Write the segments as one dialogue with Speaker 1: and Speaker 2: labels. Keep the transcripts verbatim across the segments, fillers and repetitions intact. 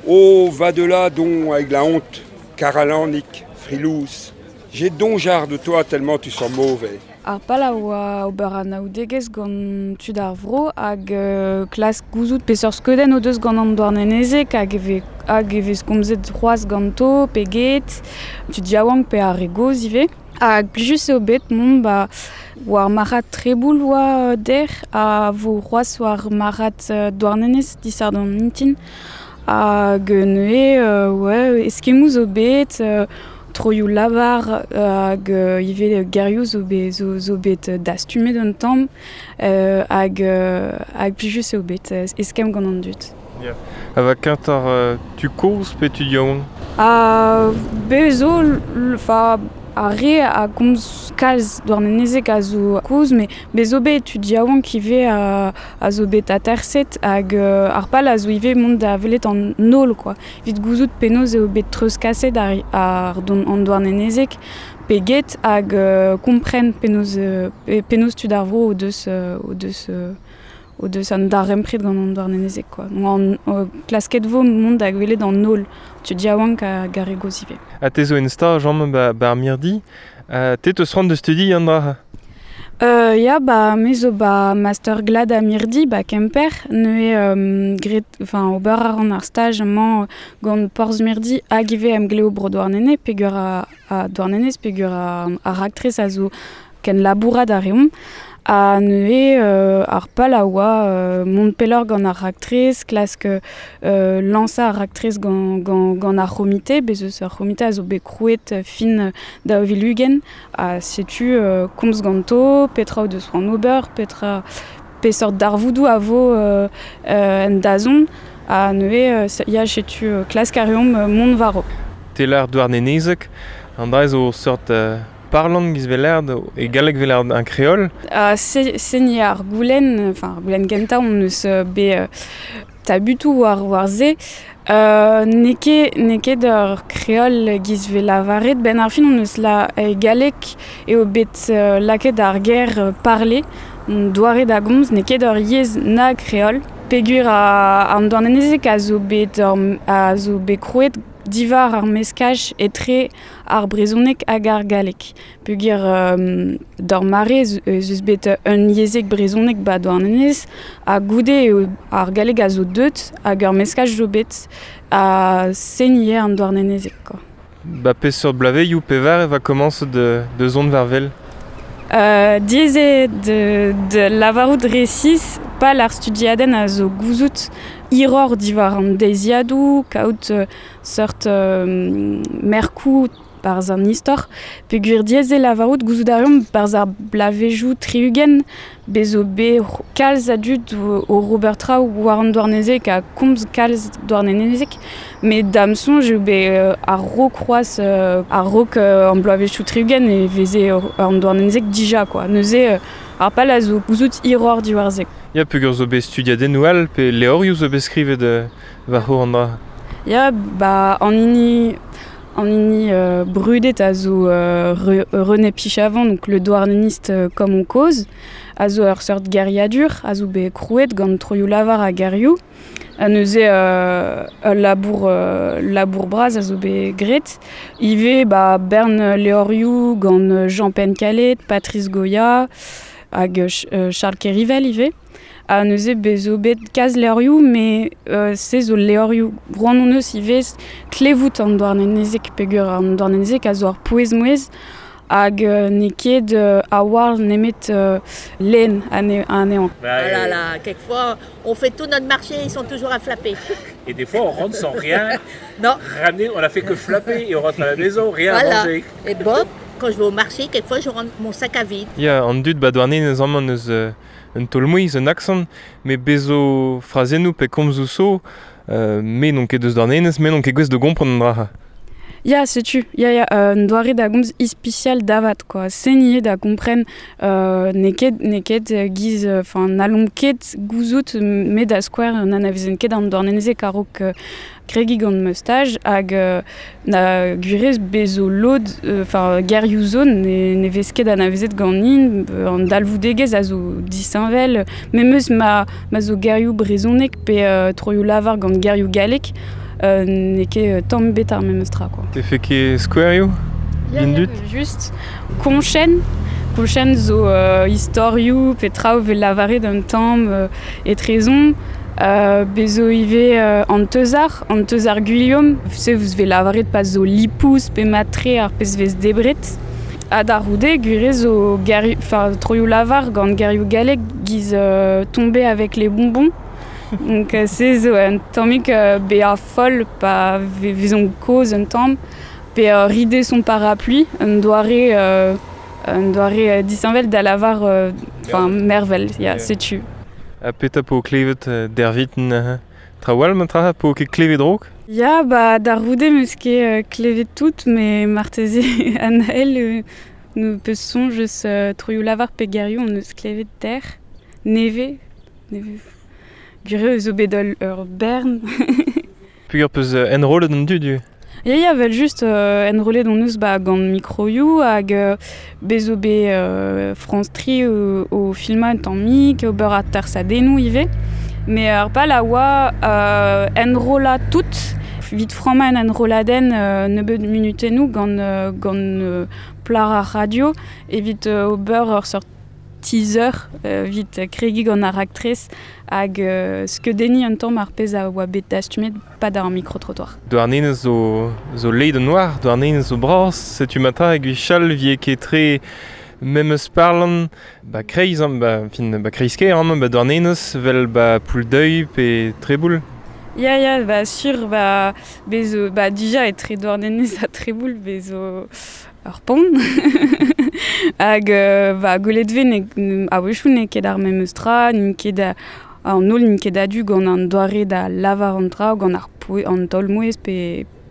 Speaker 1: Oh, va de là donc avec la honte, Karalanik, frilous. J'ai dongeard de toi tellement tu sens mauvais.
Speaker 2: Ar pal a oa ober anaoudegezh gant tud ar vro hag euh, klask gouzout peseurt skeudenn o deus gant an Douarnenezeg hag e vez, hag e vez komzet c'hoazh ganto pe get, tud yaouank pe ar re gozh ivez. Hag plijus eo bet mont ba war marc'had Treboul oa der ha vo c'hoazh war marc'had Douarnenez disadorn mintin. Hag neuze euh, ouais, eskemmoù zo bet, euh, troioù lavar hag euh, ivez gerioù zo bet, zo, zo bet dastumet un tamm euh, hag, euh, hag plijus eo bet eskemm gant an dud.
Speaker 3: Yeah. Ha va kent ar euh, tu kozh pe tud yaouank?
Speaker 2: Ha be zo, fa ar re a gomz kalz Douarnenezeg a zo kozh, met be zo bet tud yaouank ivez a, a zo bet aterset hag euh, ar pal a zo ivez mont da welet an nol, quoi. Evit gouzout penaos eo bet treuzkaset ar, ar don, an Douarnenezeg pe get hag euh, kompren penaos, euh, penaos tud ar vro o deus, euh, o deus, euh, o deus an darempred gant an Douarnenezeg, quoi. Donc an, euh, klasket vo mont da welet an nol tud yaouank hag ar re gozh ivez.
Speaker 3: Ha te zo en staj amañ ba, ba ar mirdi, uh, te teus c'hoant da studi an dra?
Speaker 2: Euh, ya, ba, me zo ba master glad a mirdi ba Kemper, neuze euh, gret, enfin, ober a ran ar staj amañ gant Porzh Mirdi hag ivez emgleo bro Douarnenez, peogwir a, a Douarnenez, peogwir a, ar raktres a zo ken labourat a reomp. Ha neuze euh, ar pal a oa euh, mont pelloc'h gant ar raktres, klask euh, lañsañ ar raktres gant, gant, gant ar c'homite, bez eus ar c'homite a zo bet krouet fin daou vil ugent, ha setu euh, komz ganto, petra o deus c'hoant ober, petra peseurt darvoudoù a vo euh, euh, en dazont, ha neuze euh, ya setu euh, klask a reomp euh, mont war-raok.
Speaker 3: Te lar Douarnenezeg, an dra zo seurt euh, parlant giz velerd e galleg velerd un kreol.
Speaker 2: Uh, se, se ni ar goulenn, enfin ar goulenn gentañ on eus bet uh, tabutoù war war se, uh, n'eo ket, n'eo ket ur kreol giz vel lavaret, ben ar fin on eus la e galleg eo bet uh, lakaet ar ger uh, parler, on doare da gomz, n'eo ket ur yezh na kreol. Peogwir a, an Douarnenezeg a zo bet, ur, a zo bet krouet divar ar meskaj etre ar brezhoneg hag ar galleg. Peogwir euh, d'ur mare ez eus bet un yezheg brezhoneg ba Douarnenez, ha goude eo ar galleg a zo deut hag ur meskaj zo bet a seniñ an Douarnenezeg, quoi.
Speaker 3: Ba peseurt blaveioù pevar e va komañs de, de zont war wel?
Speaker 2: Euh, diaes eo de, de lavarout resis, pal ar studiadenn a zo gouzout hiroc'h diwar an deiziadoù, kaout euh, seurt euh, merkoù barzh an istor, peogwir diaes eo lavarout gouzout a reomp barzh ar blavezioù tri-ugent, bez zo bet kalz a dud o, o Robert Traoù war an Douarnenezeg ha komz kalz Douarnenezeg, met da'm soñj eo bet euh, ar raok c'hoazh euh, ar raok euh, an bloavezhioù tri-ugent e veze an Douarnenezeg dija, quoi. Neuze euh, ar pal a zo gouzout hiroc'h diwar se.
Speaker 3: Ya, peogwir zo bet studiadennoù all pe levrioù zo bet skrivet euh, war an dra?
Speaker 2: Ya, ba an hini, an hini euh, brudet a zo euh, Re, René Pichavant, donc le douarneniste euh, comme on cause, a zo ur seurt geriadur, a zo bet krouet gant troioù lavar ha gerioù. Ha neuze euh, ul labour, euh, labour bras a zo bet graet. Ivez ba bern levrioù gant Jean Pencalet, Patrice Goya, hag euh, Charles Kerivel ivez. Ha neuze bez zo bet kalz levrioù, met euh, se zo levrioù roan hon eus ivez klevout an Douarnenezeg peogwir an Douarnenezeg a zo ar pouez-mouezh hag euh, n'eo ket euh, a-walc'h nemet euh, lenn ane, anezhañ.
Speaker 4: Ah là là, quelquefois, on fait tout notre marché, ils sont toujours à flapper.
Speaker 5: Et des fois, on rentre sans rien
Speaker 4: Non.
Speaker 5: ramener, on a fait que flapper et on rentre à la maison, rien à
Speaker 4: Voilà.
Speaker 5: manger.
Speaker 4: Et Bob, quand je vais au marché, quelquefois, je rentre mon sac à vide.
Speaker 3: Ya, an dud ba Douarnenez amañ eus euh, un taol-mouezh, un accent, met bez zo frazennoù pe komzoù zo, euh, me n'on ket deus Douarnenez, me n'on ket gouest da gompren an dra.
Speaker 2: Ya, setu, ya, ya, euh, un doare da gomz ispisial davat, quoi. Sen eo da kompren euh, n'eo ket, n'eo ket giz, enfin, n'hallomp ket gouzout me da skouer n'anavezen ket an Douarnenezeg a-raok euh, kregiñ gant ma staj hag euh, na gwirez bez zo lod, enfin, euh, gerioù zo ne, ne vez ket anavezet ganin, an dalvoudegezh a zo disheñvel, memes ma, ma zo gerioù brezhoneg pe euh, troioù lavar gant gerioù gallek, euh, n'eo ket tamm bet ar memes tra, quoi.
Speaker 3: Te fe ket skouerioù? Vindut?
Speaker 2: Just konchen, konchen zo euh, istorioù pe traoù vel lavaret un tamm euh, etrezon, euh, bezo ivez euh, an teuzar, an teuzar Guillaume, se vous vel lavaret pa zo lipous pe matre ar pez vez debret. Ha da roude, gwire zo gerioù, enfin, troioù lavar gant gerioù galleg giz euh, tomber avec les bonbons. Donc euh, se zo un tammig euh, bea foll pa vezon koz un tamm, pe euh, rider son parapluie, un doare, euh, un doare euh, disheñvel da lavar, enfin, euh, mervel, ya, yeah, setu.
Speaker 3: Ha petra po klevet euh, derviten euh, trawal ma tra po ket klevet rok?
Speaker 2: Ya, ba da roude meus ket euh, klevet tout, mais marteze an ael euh, nou peus soñj eus euh, troioù lavar pe gerioù on eus klevet ter, neve, neve, gwire eus zo bet ul ur bern.
Speaker 3: Peogwir peus euh, enrollet an dud,
Speaker 2: Ya, ya, vel just euh, enrollet on eus ba gant mikroioù hag euh, bez zo bet euh, France Tri o, o filmañ un tammig, ober a tersadennoù ivez. Mais ar pal a oa euh, enrollañ tout, vit frammañ en enrolladenn euh, nebeud munutennoù gant, euh, gant euh, plar ar radio evit euh, ober ur seurt teaser euh, vit kregiñ gant ar raktres hag euh, skeudenniñ un tamm ar pezh a oa bet dastumet pa d'ar micro-trottoir.
Speaker 3: Douarnenez zo, zo leid an noir, Douarnenez zo bras, setu matra hag chal vie ket tre memes parlant ba kreiz, ba, fin, ba kreiz ker, amañ, ba Douarnenez, vel ba Pouldeuil pe Treboul.
Speaker 2: Ya, ya, ba sur, ba, bezo, ba dija etre Douarnenez ha Treboul, bezo ur pont. Hag euh, ba gwelet vez ne, a-wechoù n'eo ket ar memes tra, n'int ket a, an holl n'int ket a-du gant an doare da lavar an traoù, gant ar poe, an taol-mouezh pe,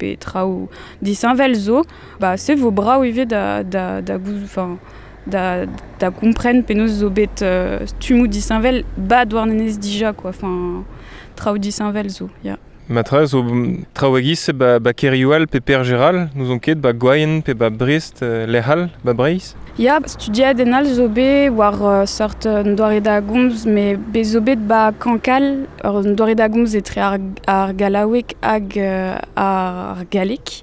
Speaker 2: pe traoù disheñvel zo. Ba se vo brav ivez da, da, da gouz, enfin, da, da kompren penaos zo bet euh, stummoù disheñvel ba Douarnenez dija, quoi, enfin, traoù disheñvel zo, ya.
Speaker 3: Matra zo traoù a-giz ba, ba Kerioal pe Pergeral, nous on ket ba Gwaien pe ba Brest, euh, Lec'hal, ba Breizh.
Speaker 2: Ya, studiadenn all zo bet war uh, seurt un doare da gomz, mais bez zo bet ba Cancale, ur un doare da gomz etre ar, ar gallaoueg hag euh, ar galleg.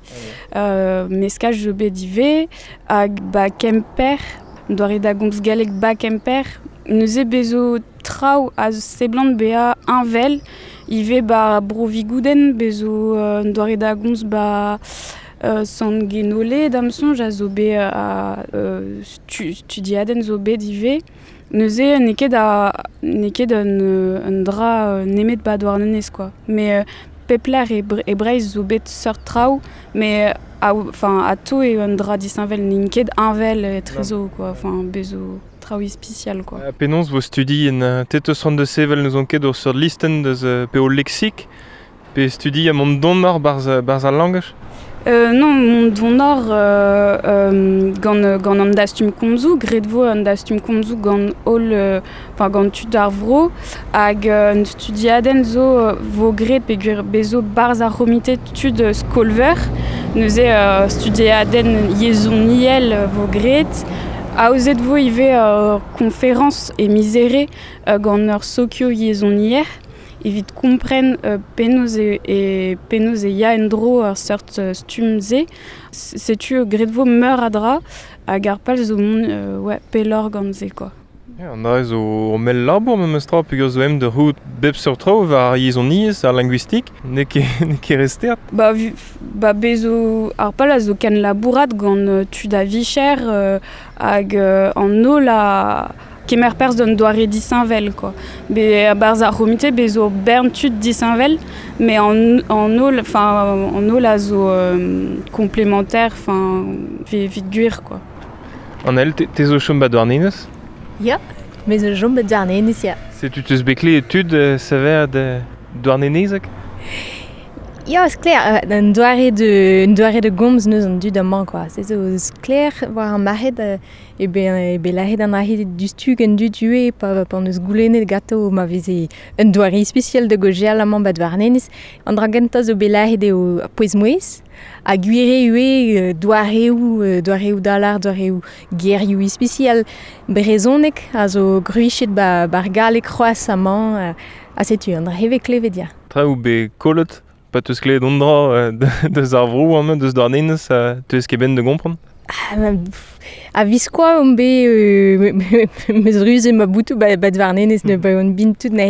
Speaker 2: Euh, meskaj zo bet ivez, hag ba Kemper, un doare da gomz galleg ba Kemper. Neuze bezo traoù a seblant bezañ heñvel, ivez ba Bro-Vigouden, bezo euh, un doare da gomz ba euh, Sant Genole da'm soñj a zo bet a euh, stu, studiadenn zo bet ivez. Neuze n'eo ket a n'eo ket un, un dra nemet ba Douarnenez, quoi. Mais euh, pep lec'h e, e Breizh zo bet seurt traoù, mais a, enfin, atao eo un dra disheñvel, n'int ket heñvel etrezo, quoi. Enfin, bezo traoù ispisial, quoi.
Speaker 3: Ha penaos vo studi en te teus c'hoant da sevel n'eus on ket ur seurt listenn deus pe o leksik, pe studi a mont donor barz, barz al langaj?
Speaker 2: Euh, non, mont donor euh, euh, gant, gant an dastum komzoù, graet vo an dastum komzoù gant holl, enfin, gant tud ar vro, hag euh, un studiadenn zo euh, vo graet peogwir bezo barz ar c'homite tud skolver, neuze euh, studiadenn yezhoniel vo graet, aozet vo ivez ur konferañs e mizere euh, gant ur sokio yezhonier, evit kompren euh, penaos e, e, penaos e ya en-dro ur seurt euh, stumm-se. Setu graet vo meur a dra hag ar pal zo mont euh, ouais, pelloc'h gant se, quoi.
Speaker 3: Ya, an dra zo ur mell labour memes tra peogwir zo em da c'hoût bep seurt traoù war ar yezhoniezh, ar linguistik, n'eo ket, n'eo ket restert.
Speaker 2: Ba, vu, ba bezo ar pal a zo ken labourat gant euh, tud a vicher euh, hag euh, an holl a kemer perzh d'un doare disheñvel, quoi. Be barz ar c'homite bezo bern tud disheñvel, mais an, an holl, enfin, an holl a zo euh, complémentaire, enfin, evit gwir, quoi.
Speaker 3: An el, te, te zo chom ba Douarnenez?
Speaker 6: Ya, me zo chom ba Douarnenez, ya.
Speaker 3: Setu teus bet klevet tud euh, saver de Douarnenezek?
Speaker 6: Ya, sklaer, euh, un doare de, un doare de gomz neus an dud amañ, quoi. Se zo sklaer war ar marc'hed euh, e be, e be lahet an arc'hed dustug an dud ue pa, pa neus goulennet ganto ma veze un doare ispisial da gojeal amañ ba Douarnenez. An dra gentañ zo bet lahet eo ar pouez-mouezh, ha gwire ue doareoù, doareoù dalar, doareoù gerioù ispisial brezhoneg a zo gruichet ba, bar galleg c'hoazh amañ, ha setu, an dra heve klevet ya.
Speaker 3: Traoù bet kollet Pa teus klevet on dra deus ar vro amañ, deus Douarnenez, teus ket ben de gompren?
Speaker 6: Ah, a viskoa on bet euh, meus ruze ma boutou ba, ba Douarnenez ne ba on bin tout na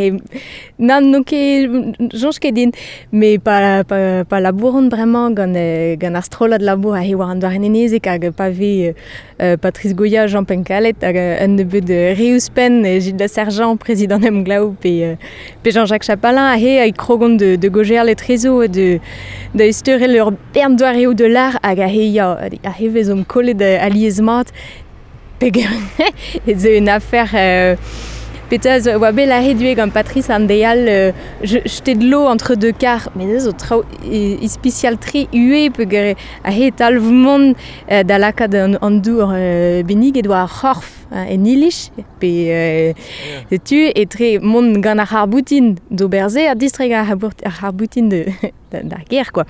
Speaker 6: nan non ket soñj ket din mais pa pa pa labouron bremañ gant gant ar strollad labour a he war an Douarnenezek hag pa ve euh, Patrice Goya, Jean Pencalet hag un nebeud re ouzhpenn Gilles Sergent, président Emglaou pe pe Jean-Jacques Chapalin a he a krogon de de goger le trezo de da esterel ur bern doareoù de l'art hag a he ya a he vezomp kollet alies mat peger ez eo une affaire euh, petra zo oa bet lâret ivez gant Patrice an deial euh, jeter de l'eau entre deux cars mais zo traoù ispicial tre ue peger a he talv mont euh, da lakaat an, an dour euh, benniget oa ar c'horf en iliz pe euh, yeah. Tu etre mont gant ar c'harboutin d'ober se ha distreg ar c'harboutin de d'ar gêr quoi.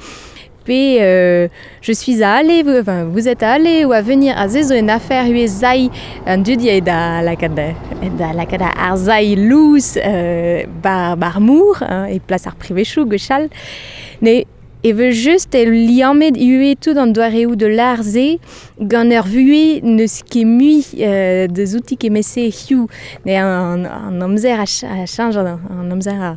Speaker 6: Pe, euh, je suis à aller, vous, enfin, vous êtes à aller ou à venir à ze zo une affaire ue zai an dud ya da lakaat da lakaat ar zai lous euh, bar, bar mour hein, e plas ar privechoù gwechall ne e veut just e liammet ue tout an doareoù de l'ar ze gant ur vuhez n'eus ket mui euh, deus outi kemese hiziv ne an, an amzer a, ch a chanj an amzer a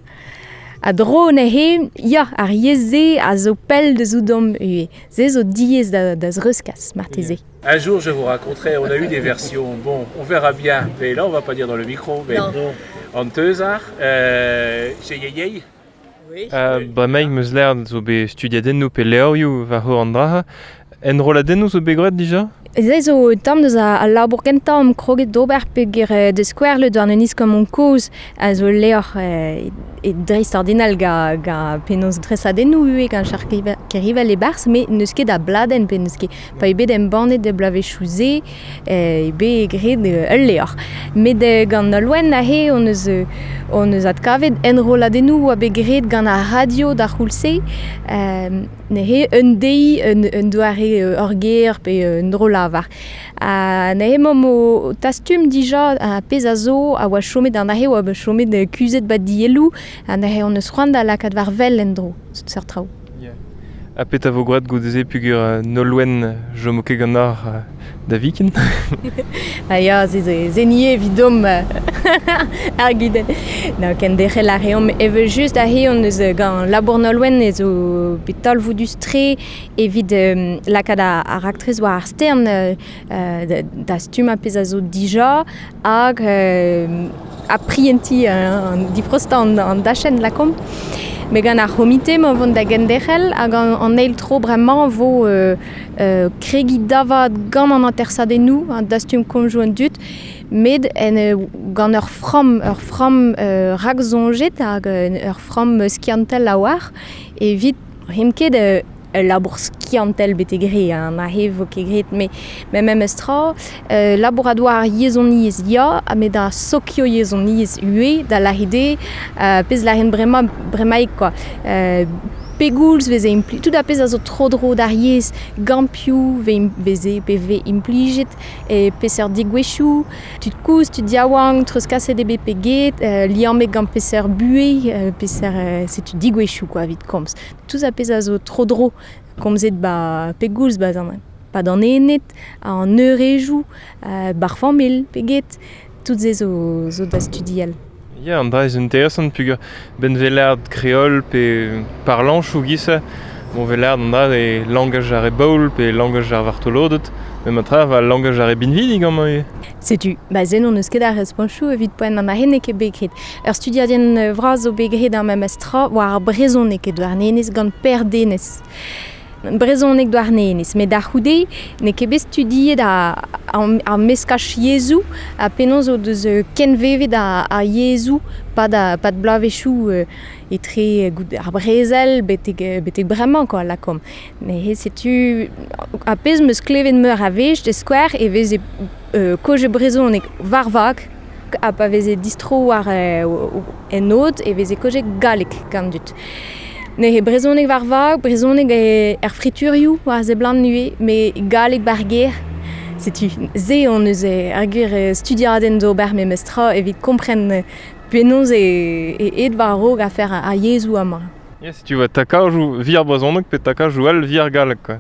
Speaker 6: A dro neuze, ya, ar yezh-se a zo pell deus ouzhomp ivez. Se zo diaes da, da zreuzkas, marteze.
Speaker 5: Un jour, je vous raconterai, on a eu des versions, bon, on verra bien, mais là, on va pas dire dans le micro, mais
Speaker 4: non.
Speaker 5: An teuzar, euh, chez Yeyey.
Speaker 4: Oui.
Speaker 3: Uh, bremaik meus lâret zo bet studiadennoù pe levrioù war hor an dra. Enrolladennoù zo bet graet dija?
Speaker 6: Se zo tamm deus al labour kentañ am kroget d'ober peogwir de skouer le Douarnenez comme on kozh a zo levr e, e dreist-ordinal ga, ga penaos dresadennoù ivez gant Charles Kerivel e-barzh met n'eus ket a bladenn pe n'eus ket pa eo bet embannet e bloavezhioù se eo bet graet ul levr. Met gant Nolwenn aze hon eus hon eus adkavet enrolladennoù oa bet graet gant ar radio d'ar c'houlz-se euh, neuze un deiz un, un doare ur ger pe un dro lavar. Ha neuze emaomp o tastum dija a pezh a zo a oa chomet an aze oa chomet kuzhet ba dielloù ha neuze hon eus c'hoant da lakaat war wel en-dro, seurt traoù.
Speaker 3: Yeah. Ha petra vo graet goude-se peogwir Nolwenn chomo ket ganeoc'h da viken?
Speaker 6: Ah ya, se ze nie evidomp ar gudenn. No, kenderc'hel a reomp evel just aze hon eus gant labour Nolwenn ez zo bet talvoudus-tre evit euh, lakaat ar raktres war ar stern euh, da stummañ pezh a zo dija hag euh, a prientiñ an difrostañ an, an dachenn lakaomp. Met gant ar c'homite ma vont da genderc'hel hag an, an eil tro bremañ vo euh, euh, kregiñ davat gant an atersadennoù, an dastum komzoù an dud, met en, gant ur framm, ur framm euh, raksoñjet hag ur framm skiantel a-walc'h evit rim ket euh, ul labour skiantel betek re, hein, aze vo ket graet, met met memes tra, euh, labouradoù ar yezhoniezh ya, ha met ar sokio-yezhoniezh ivez, da lâret eo, euh, pezh lâren bremañ bremaik quoi. Euh, pegoulz veze impli tout ar pezh a zo tro-dro d'ar yezh, gant piv veze pe vez implijet, e peseurt degouezhioù, tud kozh, tud yaouank, treuzkaset eo bet pe get, euh, liammet gant peseurt buhez, euh, peseurt euh, setu degouezhioù quoi evit komz. Tout ar pezh a zo tro-dro komzet ba pegoulz ba zan pa d'an ened, an eurejoù, euh, bar familh pe get, tout se zo, zo da studial.
Speaker 3: Ya, an dra ez interesant peogwir ben vez lâret kreol pe parlañchoù giz-se, bon vez lâret an dra e langaj ar re baoul pe langaj ar vartoloded, met ma tra va langaj ar re binvidik amañ ivez.
Speaker 6: Setu, ba zen hon eus ket ar responchoù evit poent an aze n'eo ket bet graet. Ur studiadenn vras zo bet graet ar memes tra war ar brezhoneg e Douarnenez gant Per Denez. Brezhoneg Douarnenez, met da c'houde n'eo ket bet studiet ar, ar meskaj yezhoù ha penaos o deus kenvevet ar, ar yezhoù pad, pad bloavezhioù euh, etre gout ar brezel betek, betek bremañ quoi lakaomp. Neuze setu ar pezh 'm eus klevet meur a wech de skouer e veze euh, kaoz brezhoneg war vag ha pa veze distro war euh, en aod e veze kaoz galleg gant dud. Neuze brezhoneg war vag, brezhoneg er friturioù war seblant ivez, met galleg bar gêr. Setu se hon eus ar gwir studiadenn d'ober memes tra evit kompren penaos e, e aet war-raok afer ar yezhoù amañ.
Speaker 3: Ya, si tu vois takajou vir brezhoneg pe takajou al vir galleg quoi.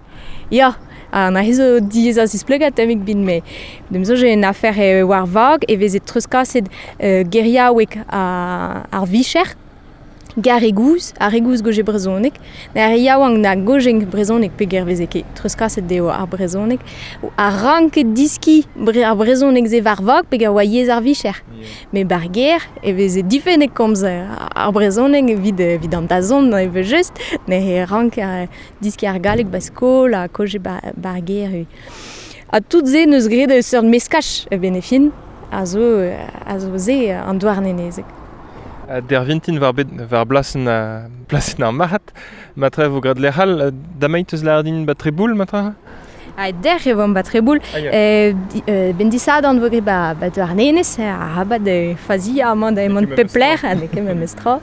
Speaker 6: Ya, ha na zo diez a zisplegat tamig bin me. Dem zo j'ai une affaire e war vag e veze treuzkaset euh, geriaoueg a, ar vicher gar e gouz, ar e gouz goje brezhoneg, na ar yaouank na gojeng brezhoneg pe ger veze ket treuzkaset dezho ar brezhoneg, a ranket diski bre, ar brezhoneg ze war vag pe ger oa yezh ar vicher.
Speaker 3: Yeah.
Speaker 6: Me bar ger e veze difennet komz ar brezhoneg evit, evit an dazont evel just, ne e rank ar diski ar galleg ba skol ha koje ba, bar ger. Ha tout ze neus graet eus seurt meskaj e benefin, a zo, a zo ze an douarnenezeg.
Speaker 3: A der vintin war bet war blasen a blasen ar marc'had, matra vo grad lec'hal, damait eus lardin ba treboul matra?
Speaker 6: A der e vomp ba treboul,
Speaker 3: Ah, ya.
Speaker 6: euh, di, euh, ben disadan vo graet ba, ba douarnenez, a rabat de fazi amañ da emañ
Speaker 3: ket
Speaker 6: pep lec'h, ha n'eo ket memes tra.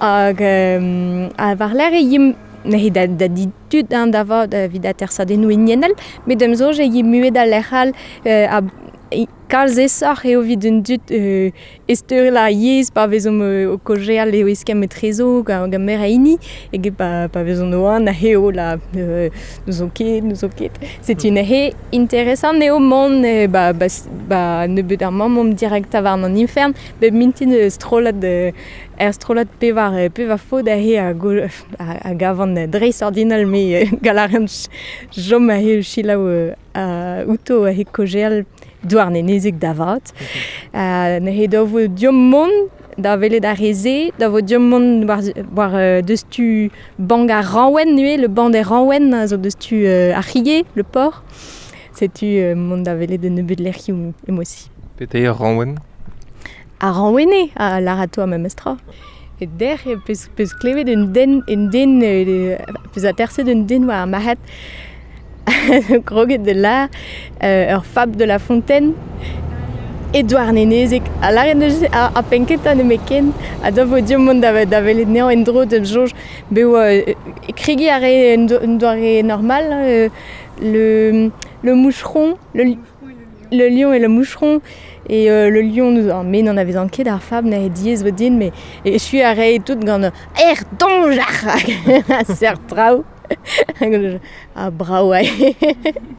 Speaker 6: Hag euh, a war lec'h e yim ne da, da di tud an da vat evit atersadennoù hiniennel, met d'am soñj e yim muet al lec'h all euh, a e kalz esoc'h eo evit un dud euh, esteurel ar yezh pa vezomp euh, o kojeal eo eskemm etrezo gant gant meur a hini eget pa, pa vezont o an a eo la euh, n'ouzon ket, n'ouzon ket. Setu neuze interesant eo mont euh, ba, ba, ba nebeut ar mamm omp direct war an infern, bep mintin euh, strollad euh, er strollad pevar euh, pevar faot aze a, go, a, a gavan dreist ordinal me euh, galaren chom aze selaou euh, a outo aze kojeal douarnenezeg da vat. Uh, neuze da vo diom mont da welet ar re-se, da vo diom mont war, war euh, deus tu bank ar Ranwen nue, le banc des Ranwen, a zo deus tu euh, ar c'hige, le port. Setu euh, mont da welet un nebeut lec'hioù emosi.
Speaker 3: Pete eo Ranwen?
Speaker 6: Ar Ranwene, a larato a memes tra. E der e peus, peus klevet un den, un den, euh, peus aterset un den war ar marc'had kroget de la euh, ur fab de la Fontaine e douarnenezeg a lâret neus a, a penketa nemetken a da vo diom mont da, da welet anezhañ en-dro d'am soñj bet oa euh, kregi a rae un, do, un doare normal euh, le, le moucheron le, le lion et le moucheron et euh, le lion nous en met n'en avait ket ar fab na diez vo din mais e suis a rae tout gant er donjar a ser traoù. A brao.